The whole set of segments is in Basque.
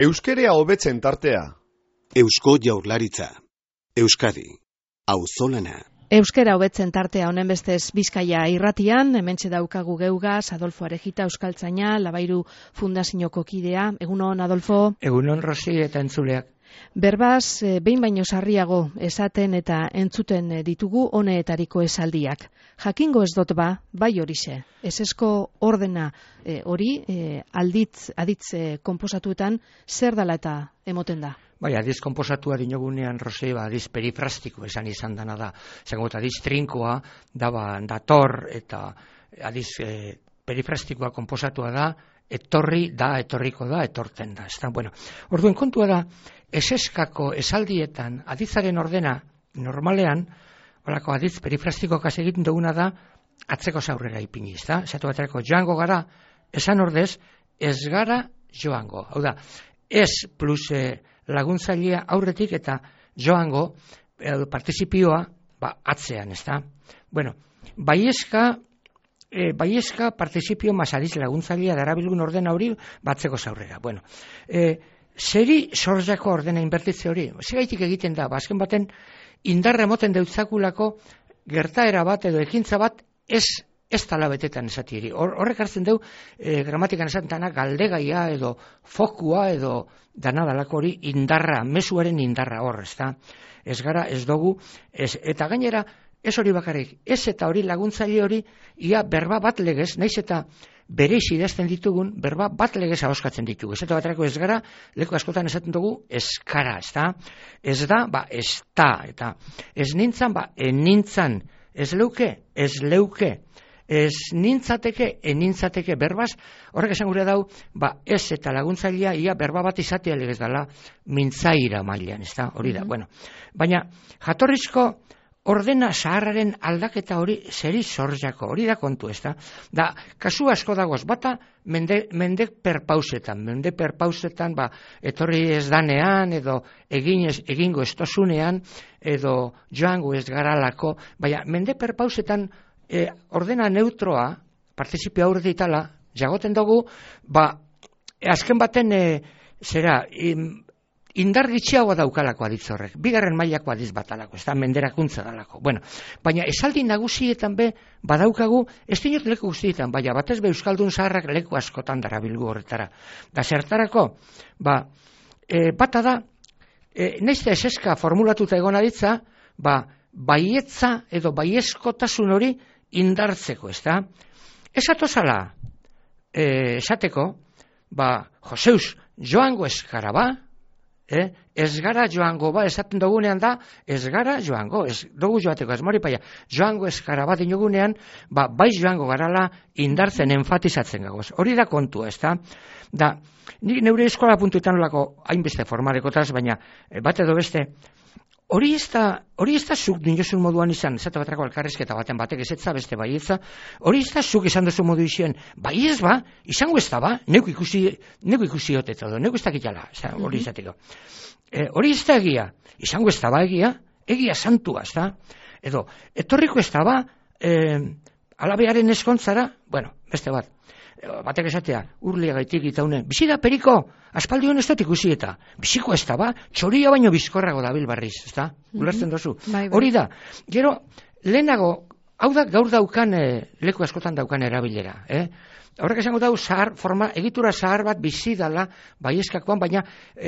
Euskerea hobetzen tartea. Eusko Jaurlaritza. Euskadi. Auzolana. Euskera hobetzen tartea honen bestez Bizkaia irratian, hementxe daukagu geugaz, Adolfo Arejita, euskaltzaina, Labairu Fundazioko kidea. Egunon, Adolfo? Egunon, Rosi eta entzuleak. Berbaz, behin baino sarriago esaten eta entzuten ditugu honeetariko esaldiak. Jakingo ez dut bai horixe. Esesko ordena hori aditz konposatuetan zer dela eta emoten da? Bai, adiz konposatua dinogunean, Rosi, adiz perifrastiko esan izan dana da. Zango, adiz trinkoa, dator, eta adiz perifrastikoa konposatua da, etorri da, etorriko da, etortzen da. Bueno, orduen kontua da, eseskako esaldietan, aditzaren ordena, normalean, holako adiz perifrastiko kas egiten duguna da, atzeko zaurrera ipini, ezta? Esatu baterako, joango gara, esan ordez, ez gara joango. Hau da, ez plus laguntzailea aurretik eta joango partizipioa atzean, ezta? Bueno, baiezka partizipio masadiz laguntzailea darabilgun ordena hori batzeko zaurrera. Bueno, zeri sorjako ordena inbertitze hori? Zegaitik egiten da, azken baten indarra emoten deutzakulako gertaera bat edo ekintza bat ez tala betetan esatieri. Horrek hartzen deu, gramatikan esaten dana galdegaia edo fokua edo danadalako hori indarra, mezuaren indarra hor, ezta? Ez gara, ez dugu, eta gainera, ez hori bakarrik, ez eta hori laguntzaile hori, ia berba bat legez, naiz eta bereiz idazten ditugun, berba bat legez ahoskatzen ditugu. Ez eta baterako ez gara, leku askotan esaten dugu, eskara, ezta? Ez da, ez da, eta ez nintzan, enintzan, ez leuke, ez nintzateke, enintzateke berbaz, horrek esan gure dau, ez eta laguntzailea ia berba bat izatea legez dela mintzaira mailan, ez da, hori da, bueno. Baina, jatorrizko ordena zaharraren aldaketa hori zeri zorjako, hori da kontu, ez da. Da, kasu asko dagoz, bata mende perpausetan, etorri ez danean, edo egingo ez tozunean, edo joango ez garalako, baina mende perpausetan ordena neutroa, partizipio aurretik itala, jagoten dugu, azken baten, indar gitxiagoa daukalako aditz horrek, bigarren mailako aditz batalako, ez da menderakuntza dalako. Bueno, baina esaldi nagusietan badaukagu, ez dinot leku guztietan, baina batez euskaldun zaharrak leku askotan darabilgu horretara. Da zertarako, bata da, naizte eseska formulatuta egon aditza, baietza edo baiezkotasun hori indartzeko, ez da? Ez atozala, esateko, Joseus, joango ez gara ez gara joango esaten dugunean da, ez gara joango, ez dugu joateko, ez mori paia, joango ez gara dinogunean, bai joango garala indartzen enfatizatzen gagoz. Hori da kontua, ez da? Da, nik neure eskola puntuetan olako hainbeste formalekotaz, baina bat edo beste, hori ez da zuk dinozun moduan izan, ez eta batrako alkarrezketa batek ezetza, beste baietza, hori ez da zuk esan duzu modu izan, baiez izango ez da neuk ikusi hotet edo, neuk ez da kitala, hori izateko. Hori ez da egia, izango ez da egia santua, ez da, edo, etorriko ez da alabearen eskontzara, bueno, beste bat. Batek esatea, urlia gaitik itaune, bizi da periko, aspaldi hon ez dut ikusi eta, biziko ez da txoria baino bizkorrago dabil barriz, ez da? Ulertzen dozu. Hori da, gero, lehenago, hau da gaur daukan, leku askotan daukan erabilera, Horrek esango dau, egitura zahar bat bizi dala, baiezkakoan, baina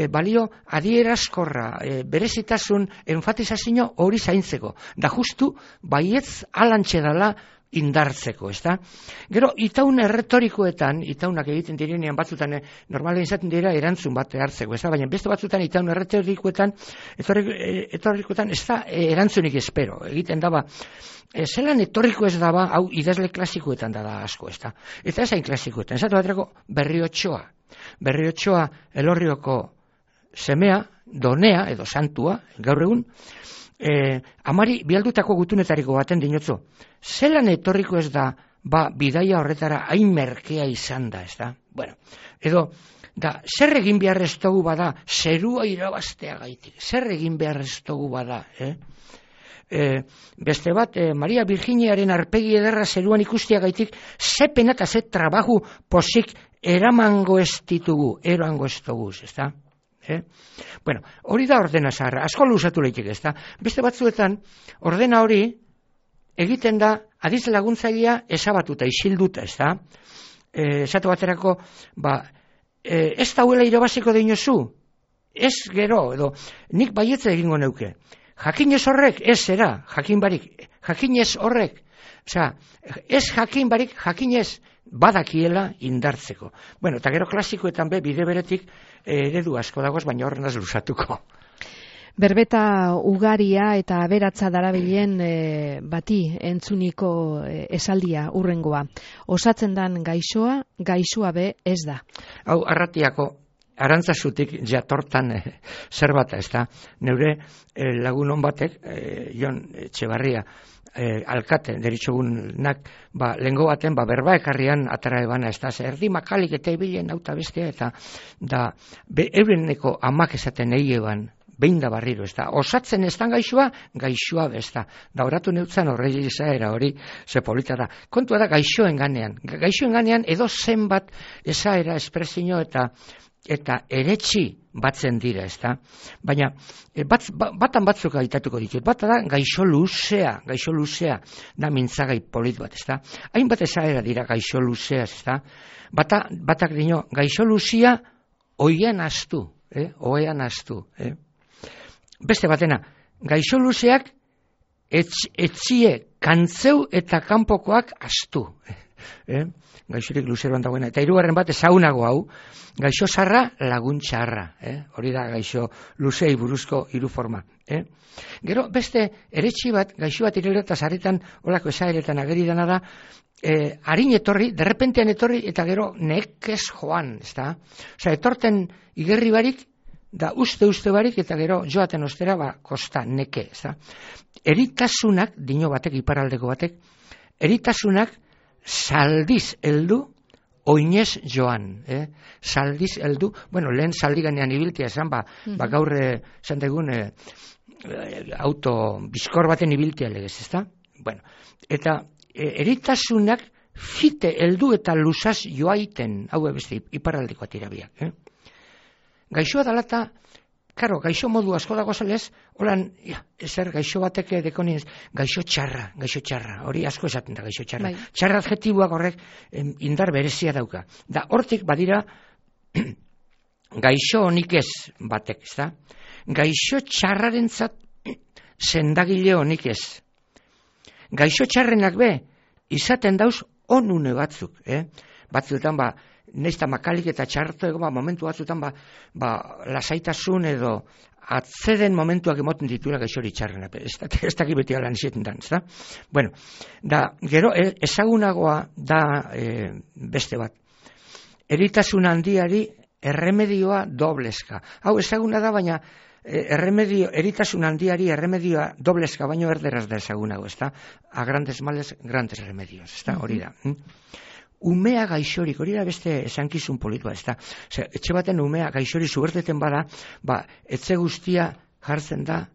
balio adierazkorra, berezitasun, enfatizazio hori zaintzeko. Da justu, baietz alantxe dala, indartzeko, ez da? Gero, itaun erretorikoetan, itaunak egiten direnean batzutan, normalen izaten dira erantzun bat hartzeko, ez da? Baina beste batzutan itaun erretorikoetan, ez da erantzunik espero, egiten daba, zelan etorriko ez daba, hau idazle klasikoetan da asko, ez da? Eta ez hain klasikoetan, ez da baterako Berriotxoa Elorrioko semea, donea, edo santua, gaur egun, amari bialdutako gutunetariko baten dinotzu. Zelan etorriko ez da, bidaia horretara hain merkea izan da, ez da? Bueno, edo, zer egin behar ez dugu bada, zerua irabaztea gaitik, zer egin behar ez dugu bada, Beste bat, Maria Virginiaren arpegi ederra zeruan ikustia gaitik, ze pena eta ze trabajo posik eramango ez ditugu, eroango ez dugu, ez da? Bueno, hori da ordena zaharra, asko luzatu lehitik ez da. Beste batzuetan, ordena hori egiten da adiz laguntzailea ezabatuta, isilduta, ez da. Esatu baterako, ez dauela irabaziko deinozu, ez gero, edo nik baietza egingo neuke. Jakinez horrek, ez zera, jakin barik, jakinez horrek, osea, ez jakin barik, jakinez badakiela indartzeko. Bueno, eta gero klasikoetan bide beretik eredu asko dagoz, baina horren az luzatuko. Berbeta ugaria eta aberatza darabilen bati entzuniko esaldia urrengoa. Osatzen dan gaixoa be ez da. Hau, Arratiako Arantzazutik jatortan zerbata, ez da. Neure lagun hon batek, Jon Etxebarria, alkate, deritxogunak, lehengo baten, berba ekarrian atara ebana, ez da, erdi makalik eta ebilen auta bestea, eta da, eureneko amak esaten egi eban, behin da barriro, ez da, osatzen ez da gaixoa ez da, da oratu neutzen horregi izaera hori, ze polita da, kontua da gaixoen ganean edo zenbat ezaera espresio eta eretxi batzen dira, ez da, baina batan batzuk aitatuko ditut, bata da gaixo luzea, da mintzagai polit bat, ez da, hainbat ezaera dira gaixo luzea, ez da, batak dino, gaixo luzea oian astu, Beste batena, gaixo luzeak etzie kantzeu eta kanpokoak astu. Gaixorik luzeroan dagoena. Eta hirugarren bat ezaunago hau, gaixo zarra laguntxarra. Hori da gaixo luzei buruzko hiru forma. Gero beste eretxi bat, gaixo bat ireleta zarritan, olako esaeretan ageri dena da, harin etorri, derrepentean etorri, eta gero nekez joan. Osa, etorten igerri barik, da uste barik eta gero joaten ostera kosta neke, ez da. Eritasunak, dino batek, iparaldeko batek, eritasunak saldiz heldu, oinez joan. Saldiz heldu, lehen saldi ganean ibiltia esan, gaur esan degun auto bizkor baten ibiltia legez, ez da. Eta eritasunak fite heldu eta luzaz joaiten, hau beste iparaldeko atirabiak, Gaixoa dalata, gaixo modu asko dago zelez, holan, ezer gaixo batek dekonien, gaixo txarra, hori asko esaten da gaixo txarra. Txarra adjetiboak horrek indar berezia dauka. Da, hortik badira, gaixo honik ez batek, ez da? Gaixo txarrarentzat sendagile honik ez. Gaixo txarrenak izaten dauz onune batzuk, batzuetan neizta makalik eta txarto ego, momentu batzutan lasaitasun edo atzeden momentuak emoten dituela gaixori txarrena. Ez dakit beti alan izaten dan, ez da? Da, gero, ezagunagoa da beste bat. Eritasun handiari erremedioa dobleska. Hau, ezaguna da, baina eritasun handiari erremedioa dobleska, baino erderaz da ezagunago, ez da? A grandes males, grandes remedios, ez da? Hori da. Umea gaixorik, hori da beste esankizun politua, ez da. Etxe baten umea gaixori zuberteten bada, etxe guztia jartzen da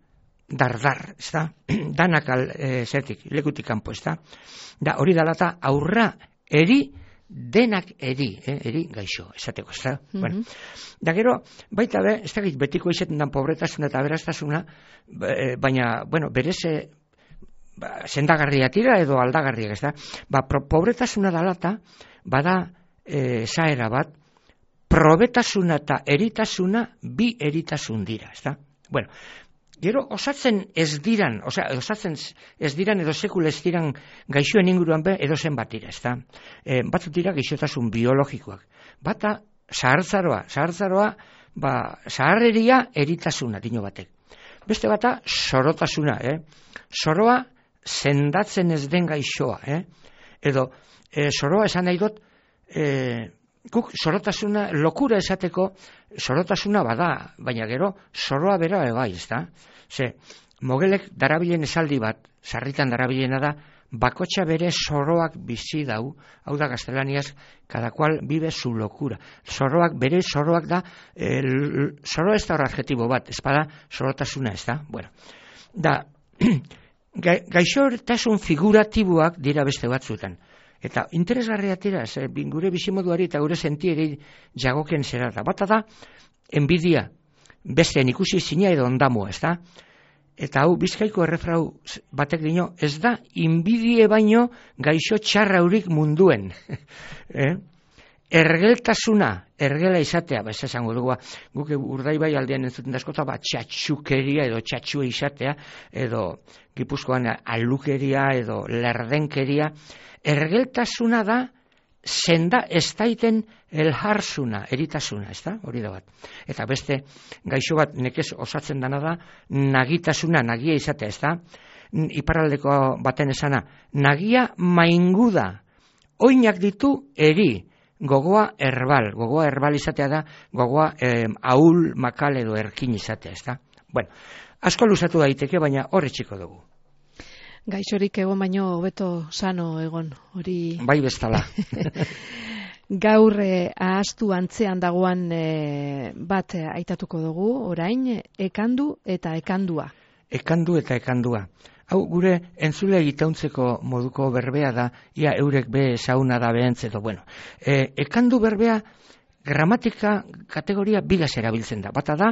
dardar, ez da. Danak zertik, lekutik kanpo, ez da. Da, hori dalata aurra denak eri gaixo, esateko, ez da. Da gero, baita ez da betiko izaten dan pobretasuna eta aberastasuna, baina, berez sendagarria tira edo aldagarriak, ez da. Pobretasuna dalata, bada zaera bat, probetasuna eta eritasuna bi eritasun dira, ez da. Gero, osatzen ez diran edo sekula ez diran gaixoen inguruan edo zen bat dira, ez da. Batzut dira gaixotasun biologikoak. Bata, zahartzaroa, zaharreria eritasuna, dino batek. Beste bata, sorotasuna, soroa sendatzen ez den gaixoa, edo soroa esan nahi dut, guk sorotasuna, lokura esateko, sorotasuna bada, baina gero soroa bera bai, ez da? Mogelek darabilen esaldi bat, sarritan darabilena da, bakotxa bere soroak bizi dau, hau da gaztelaniaz, cada cual vive su locura. Bere soroak da, soroa ez da hor adjetibo bat, ez bada sorotasuna, ez da? Da, gaixotasun figuratiboak dira beste batzuetan. Eta interesgarria tira, gure bizimoduari eta gure sentieri jagoken zera da. Bata da, enbidia. besteen ikusi zina edo ondamua, ez da? Eta hau, Bizkaiko errefrau batek dino, ez da, inbidie baino gaixo txarraurik munduen. Ergeltasuna, ergela izatea, ez esango dugu, guk Urdaibai aldean entzuten askota, txatxukeria edo txatxue izatea, edo Gipuzkoan alukeria edo lerdenkeria. Ergeltasuna da, senda ez daiten elharsuna, eritasuna, ez da? Hori da bat. Eta beste gaixo bat nekez osatzen dana da, nagitasuna, nagia izatea, ez da? Iparraldeko baten esana, nagia mainguda, oinak ditu eri, gogoa herbal izatea da, gogoa ahul, makal edo erkin izatea, ez da? Bueno, asko luzatu daiteke, baina horre txiko dugu. Gaixorik egon baino hobeto sano egon, hori... Bai bestala. Gaur ahaztu antzean dagoan bat aitatuko dugu, orain, ekandu eta ekandua. Ekandu eta ekandua. Hau, gure entzule itauntzeko moduko berbea da, ia eurek be sauna da behentz edo, bueno. Ekandu berbea, gramatika kategoria bigaz erabiltzen da. Bata da,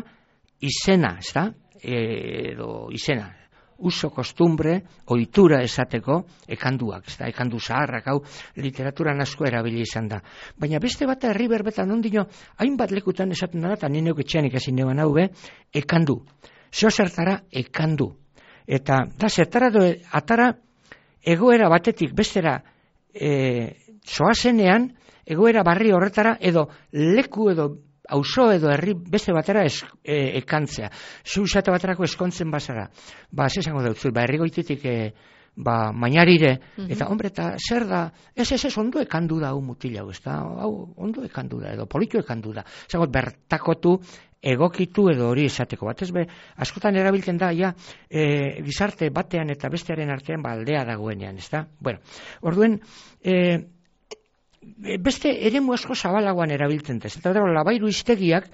izena, ez da? Edo izena. Uso, kostumbre, ohitura esateko, ekanduak, ez da? Ekandu zaharrak, hau, literaturan asko erabili izan da. Baina beste bata herri berbetan ondino, hainbat lekutan esaten da, eta nineuk etxean ikasi neban hau be, ekandu. Zeo zertara, ekandu. Eta da zertara atara egoera batetik bestera zoazenean, egoera barri horretara edo leku edo auzo edo herri beste batera ekantzea. Zu esate baterako eskontzen bazara. Ba, esango dut, herri goititik mainarire, eta hombre, eta zer da, ez, ondo ekandu da hau mutila, ez da, hau ondo ekandu da, edo politu ekandu da. Zagot, bertakotu, egokitu edo hori esateko bat, ez be, askotan erabiltzen da, ja, gizarte batean eta bestearen artean aldea dagoenean, ez da? Bueno, orduen, beste eremu asko zabalagoan erabiltzen da, eta labairu iztegiak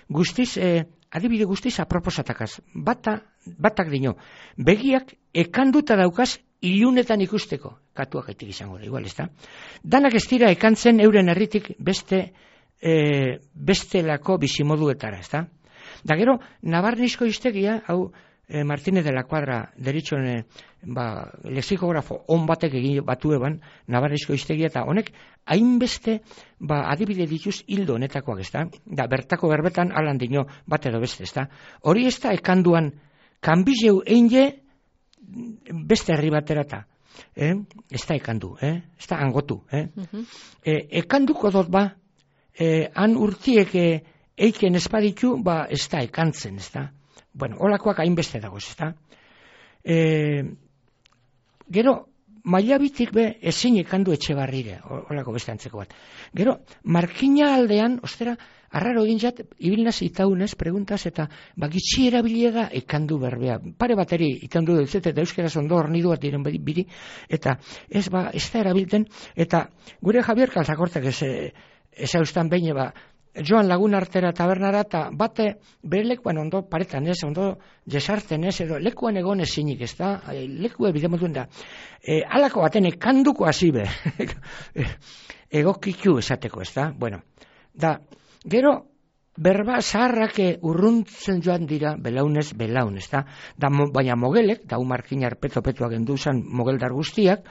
guztiz, adibide guztiz aproposatakaz, batak dino, begiak ekanduta daukaz ilunetan ikusteko, katuak gaitik izango da, igual, ez da? Danak ez dira ekantzen euren herritik bestelako bizimoduetara, ez da? Da gero, Nabarnizko iztegia, hau Martínez de la Cuadra deritxon lexikografo on batek egin batu eban, Nabarnizko iztegia, eta honek hainbeste adibide dituz hildo honetakoak, ez da? Da, bertako berbetan alan dino bat edo beste, ez da? Hori ez da ekanduan kanbizeu einge beste herri baterata. Ez da ekandu, ez da angotu. Ekanduko dut han urtiek eiken espaditu, ez da ekantzen, ez da. Bueno, holakoak hainbeste dagoz, ez da. Gero, mailabitik ezin ekandu etxe barrire, holako beste antzeko bat. Gero, Markina aldean, ostera, arraro egin jat, ibilnaz itaunez, preguntaz, eta gitxi erabiliega ekandu berbea. Pare bateri itandu dut, eta euskeraz ondo hornidu bat diren biri, eta ez da erabilten, eta gure Javier Kalzakortek ez haustan behin, joan lagun artera tabernara, eta bate bere lekuan ondo paretan ez, ondo jesarten ez, edo lekuan egon ezinik, ez da, lekue bidemotuen da. Halako baten ekanduko hazibe, egokiku esateko, ez da, bueno, da, gero, berba zaharrak urruntzen joan dira belaunez belaun, ez da, baina mogelek, da Markinar peto-petoak enduzan mogeldar guztiak,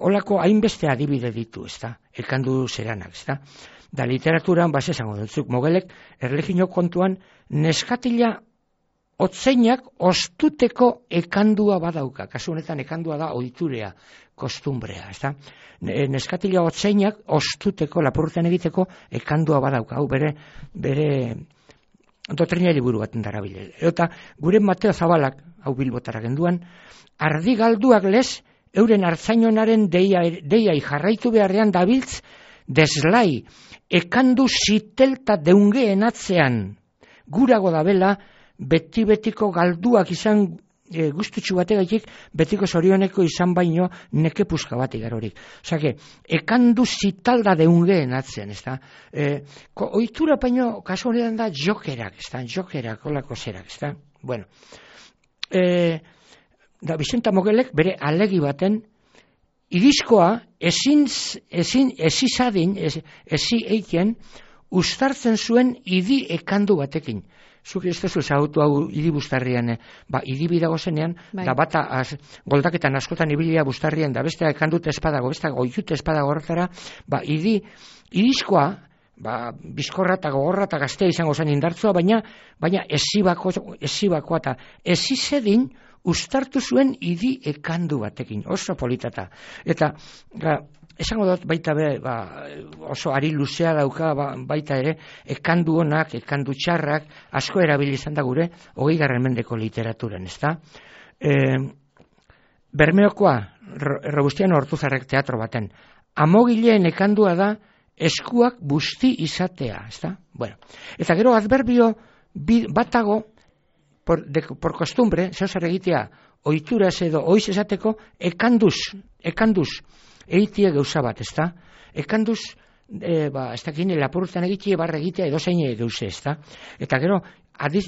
holako hainbeste adibide ditu, ez da, ekandu zeranak, ez da. Da literaturan, esango dutzuk, mogelek, erlegino kontuan, neskatila otzeinak ostuteko ekandua badauka. Kasu honetan ekandua da ohiturea, kostumbrea, ez da? Neskatila otzeinak ostuteko, lapurretan egiteko, ekandua badauka. Hau bere dotrina liburu baten darabile. Eta gure Mateo Zabalak, hau Bilbotara genduan, ardi galduak lez, euren hartzainonaren deiai jarraitu beharrean dabiltz, deslai, ekandu zitelta deungeen atzean, gurago dabela, beti-betiko galduak izan guztutxu bategaitik, betiko zorioneko izan baino neke puska bat igarorik. Osake, ekandu zitalda deungeen atzean, ez da? Ohitura baino, kasu honetan da, jokerak, ez da? Jokerak, olako zerak, ez da? Bueno, da Vicenta Mogelek bere alegi baten, irizkoa ezin eiken ustartzen zuen idi ekandu batekin. Zuk ez duzu ezagutu hau idi bustarrian, idi bidago zenean, da bata goldaketan askotan ibilia bustarrian, da bestea ekandut espadago, bestea goitut espadago horretara, idizkoa, bizkorra eta gogorra eta gaztea izango zen indartzua, baina esibakoa eta esizedin ustartu zuen idi ekandu batekin, oso politata. Eta, esango dut baita be, oso ari luzea dauka baita ere, ekandu honak, ekandu txarrak, asko erabili izan da gure, 20. mendeko literaturan, ezta? Bermeokoa, Robustiano Ortuzarrek teatro baten, amogileen ekandua da, eskuak busti izatea, ezta? Bueno, eta gero adverbio batago, por costumbre, zeozer egitea, oituraz edo oiz esateko, ekanduz, eitie gauza bat, ezta? Ekanduz, ez dakin, lapurretan egitie barra egitea edo zein gauze, ezta? Eta gero,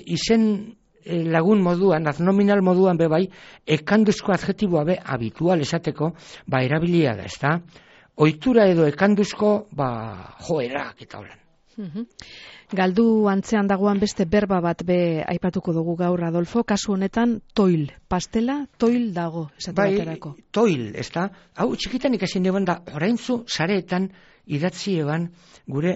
izen lagun moduan, adnominal moduan bebai, ekanduzko adjetiboa be habitual esateko, erabilia da, ezta? Oitura edo ekanduzko, joerak eta holan. Galdu antzean dagoan beste berba bat be aipatuko dugu gaur, Adolfo, kasu honetan toil, pastela toil dago, esate baterako. Toil, ezta? Hau txikitan ikasin eban da, oraintzu sareetan idatzi eban gure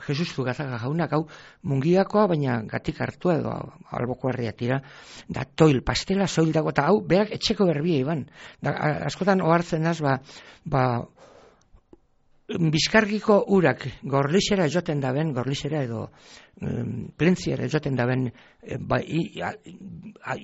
Jesus Zugazaga jaunak, hau mungiakoa, baina gatik hartua edo alboko herria tira, da toil, pastela soil dago, eta hau berak etxeko berbia eban. Askotan ohartzen az, Bizkargiko urak gorlixera joten daben, gorlixera edo plentziera joten daben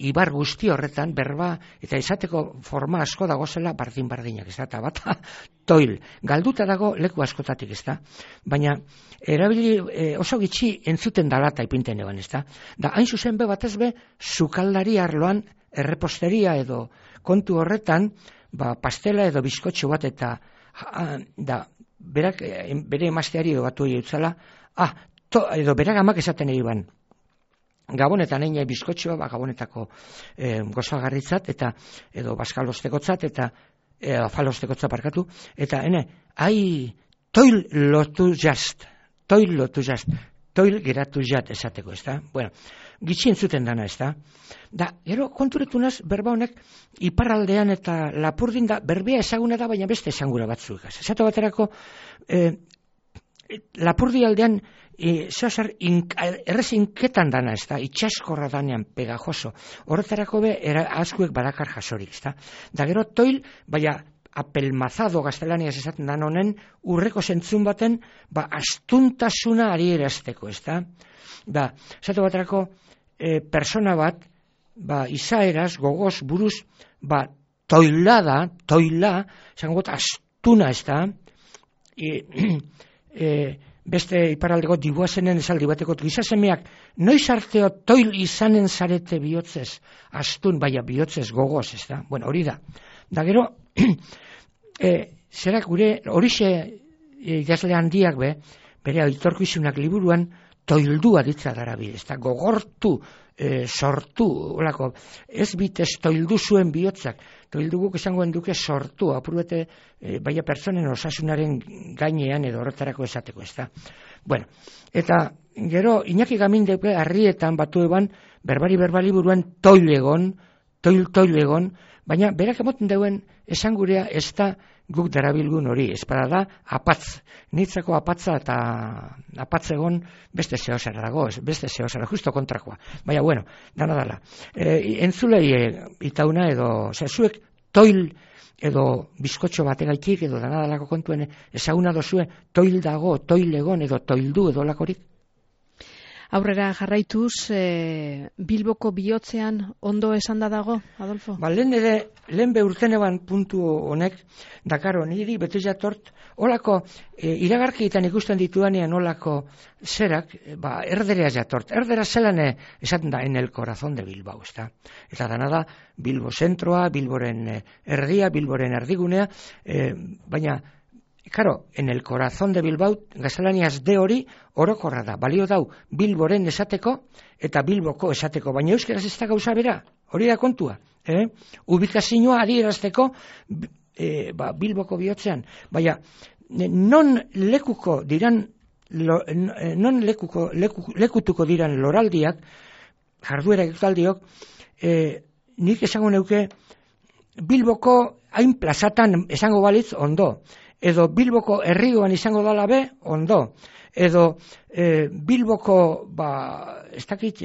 ibar guzti horretan berba eta izateko forma asko dagozela bardin-bardinak, ez da, eta bata toil, galduta dago leku askotatik, ez da, baina erabili oso gitxi entzuten dalata ipinten eban, ez da, da hain zuzen be batez be, sukaldari arloan erreposteria edo kontu horretan, pastela edo bizkotxo bat eta berak bere emazteari batu egitzala, edo berak amak esaten egiban. Gabonetan egin bizkotxoa, gabonetako gozagarritzat, eta edo baskalostekotzat, eta afalostekotzat parkatu, eta toil lotu jast, toil geratu jat esateko, ez da? Bueno, gitxien zuten dana, ez da? Da, gero konturetunaz, berba honek, iparraldean eta lapurdin da, berbea ezaguna da, baina beste esangura batzuk. Esatu baterako, lapurdi aldean, errez inketan dana, ez da? Itxaskorra danean, pegajoso. Horretarako be, askuek badakar jasorik, ez da? Da, gero toil, baina, apelmazado gaztelaniaz esaten dan honen, urreko zentzun baten, astuntasuna ari erazteko, ez da? Da, esatu baterako, persona bat, izaeraz, gogoz, buruz, toila, zango got, astuna, ez da? Beste iparaldeko dibuazenen esaldi bateko, gizasemeak, noiz arteo toil izanen zarete bihotzez, astun, bihotzez, gogoz, ez da? Bueno, hori da. Da gero, zerak gure, horixe idazle handiak be, bere aitorkizunak liburuan, toildua ditza darabil, ez da, gogortu, sortu, olako, ez bitez toildu zuen bihotzak, toildu guk esangoen duke sortu, apurbete, baina pertsonen osasunaren gainean edo horretarako esateko, ez da. Bueno, eta gero, Iñaki Gamindeke harrietan batu eban, berbali buruan toilegon, baina berak emoten deuen esangurea ez da guk darabilgun hori, espada da apatz, nitzako apatza eta apatzegon beste zehosara dago, beste zehosara, justo kontrakoa. Baina, bueno, dana. Entzulei itauna edo, zuek toil edo bizkotxo bategaitik edo dana kontuen ezaguna dozue toil dago, toilegon edo toildu edo lakorik? Aurrera jarraituz, Bilboko bihotzean ondo esanda dago, Adolfo? Lehen urteneban puntu honek, dakaro, niri beti jatort, olako, iragarkietan ikusten ditudanean olako zerak, erderea jatort. Erdera zelan esaten da, en el corazón de Bilbao, ez da? Eta dana da, Bilbo zentroa, Bilboren erdia, Bilboren erdigunea, baina, Karo, en el corazón de Bilbao, gaztelaniaz de hori, orokorra da. Balio dau, Bilboren esateko eta Bilboko esateko. Baina euskeraz ez da gauza bera, hori da kontua. Ubikazioa adierazteko Bilboko bihotzean. Baina, non lekuko diran non lekutuko diran loraldiak, jarduera ekitaldiok, nik esango neuke Bilboko hain plazatan esango balitz ondo, edo Bilboko herrigoan izango dala be ondo, edo Bilboko ez dakit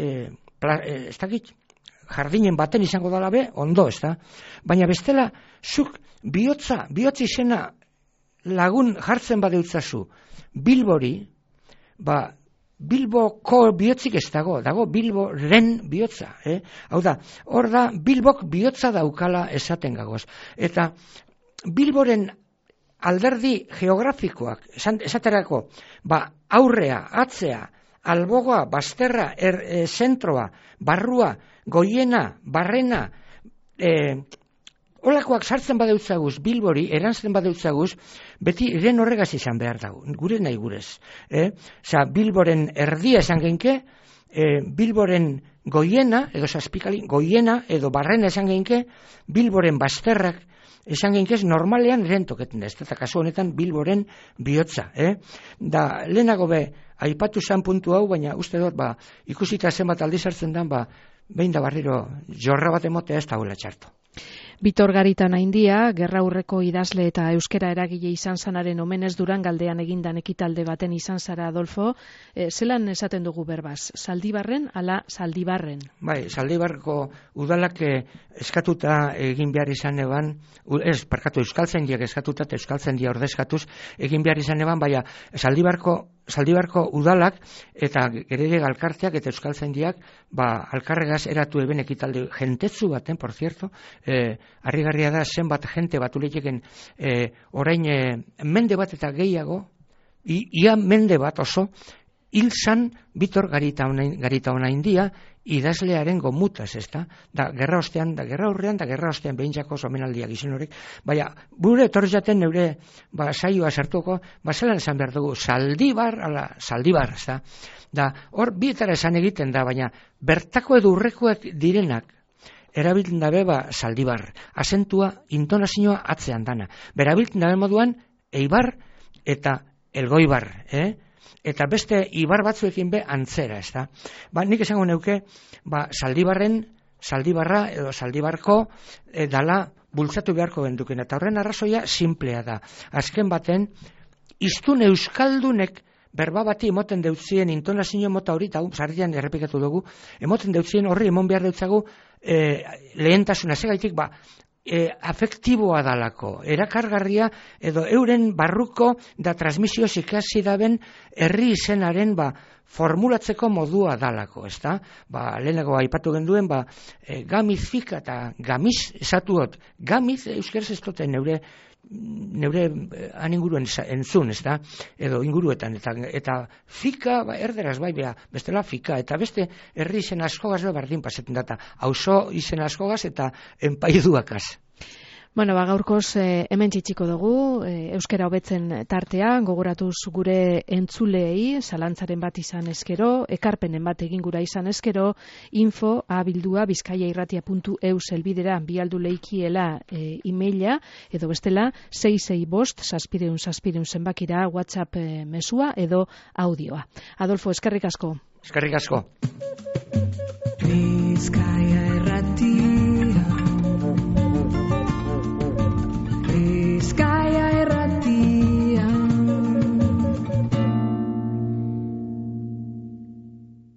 jardinen baten izango dala be ondo, ezta? Baina bestela zuk bihotz izena lagun jartzen badeutzazu Bilbori, Bilboko bihotzik ez dago Bilboren bihotza, Hau da, hor da Bilbok bihotza daukala esaten gagoz. Eta Bilboren alderdi geografikoak, esaterako, aurrea, atzea, albogoa, bazterra, zentroa, barrua, goiena, barrena, holakoak sartzen badeutzaguz, Bilbori, erantzen badeutzaguz, beti iren horregaz izan behar dago, gure nahi gurez. Bilboren erdia esan genke, Bilboren goiena, edo zazpikali, goiena, edo barrena esan genke, Bilboren bazterrak esan genkez normalean iren toketen da, eta kasu honetan Bilboren bihotza. Da, lehenago aipatu zan puntu hau, baina uste dut, ikusita zenbat aldiz hartzen dan, behin da barriro jorra bat emotea ez dagoela txarto. Bitor Garitan Aindia, gerraurreko idazle eta euskera eragile izan zanaren omenez Durangaldean egindan ekitalde baten izan zara, Adolfo. Zelan esaten dugu berbaz? Zaldibarren ala Zaldibarren? Zaldibarko udalak eskatuta egin behar izan eban, Euskaltzaindiak eskatuta eta Euskaltzaindia ordezkatuz egin behar izan eban, baina Zaldibarko udalak eta gerede galkarteak eta Euskaltzaindiak alkarregaz eratu eben ekitalde jentetzu baten, por cierto, harrigarria da zenbat jente batu lehieken orain mende bat eta gehiago, ia mende bat oso, hil zan Bitor Garitan Aindia idazlearen gomutaz, ezta? Da gerra ostean, da gerra aurrean, da gerra ostean behintzako omenaldiak izen horrek, baina bure etorri jaten neure saioa sartuko, zelan esan behar dugu, Zaldibar, ezta? Da hor bietara esan egiten da, baina bertako edo urrekoak direnak erabiltzen dabe Zaldibar, azentua, intonazioa atzean dana. Berabiltzen dabe moduan Eibar eta Elgoibar, eta beste ibar batzuekin be antzera, ezta? Nik esango neuke, Zaldibarra edo Zaldibarko dala bultzatu beharko genduken, eta horren arrazoia simplea da. Azken baten, hiztun euskaldunek berba bati emoten deutzien intonazio mota hori, eta sarrian errepikatu dugu, emoten deutzien horri emon behar deutzagu lehentasuna, segaitik afektiboa dalako, erakargarria edo euren barruko da transmisio ikasi daben herri izenaren formulatzeko modua dalako, ezta? Lehenago aipatu genduen, gamiz fika eta gamiz esatuot, gamiz euskeraz ez dute neure inguruen entzun, ezta? Edo inguruetan, eta fika, erderaz bestela fika, eta beste herri izen askogaz berdin pasetan data, auzo izen askogaz eta enpaiduakaz. Gaurkoz hemen txitsiko dugu, euskera hobetzen tartea, gogoratuz gure entzuleei, zalantzaren bat izan eskero, ekarpenen bat egin gura izan eskero, info@bizkaiairratia.eu zelbidera bialdu leikiela emaila, edo bestela 665-700 zenbakira WhatsApp mesua edo audioa. Adolfo, eskerrik asko. Eskerrik asko. Bizkaia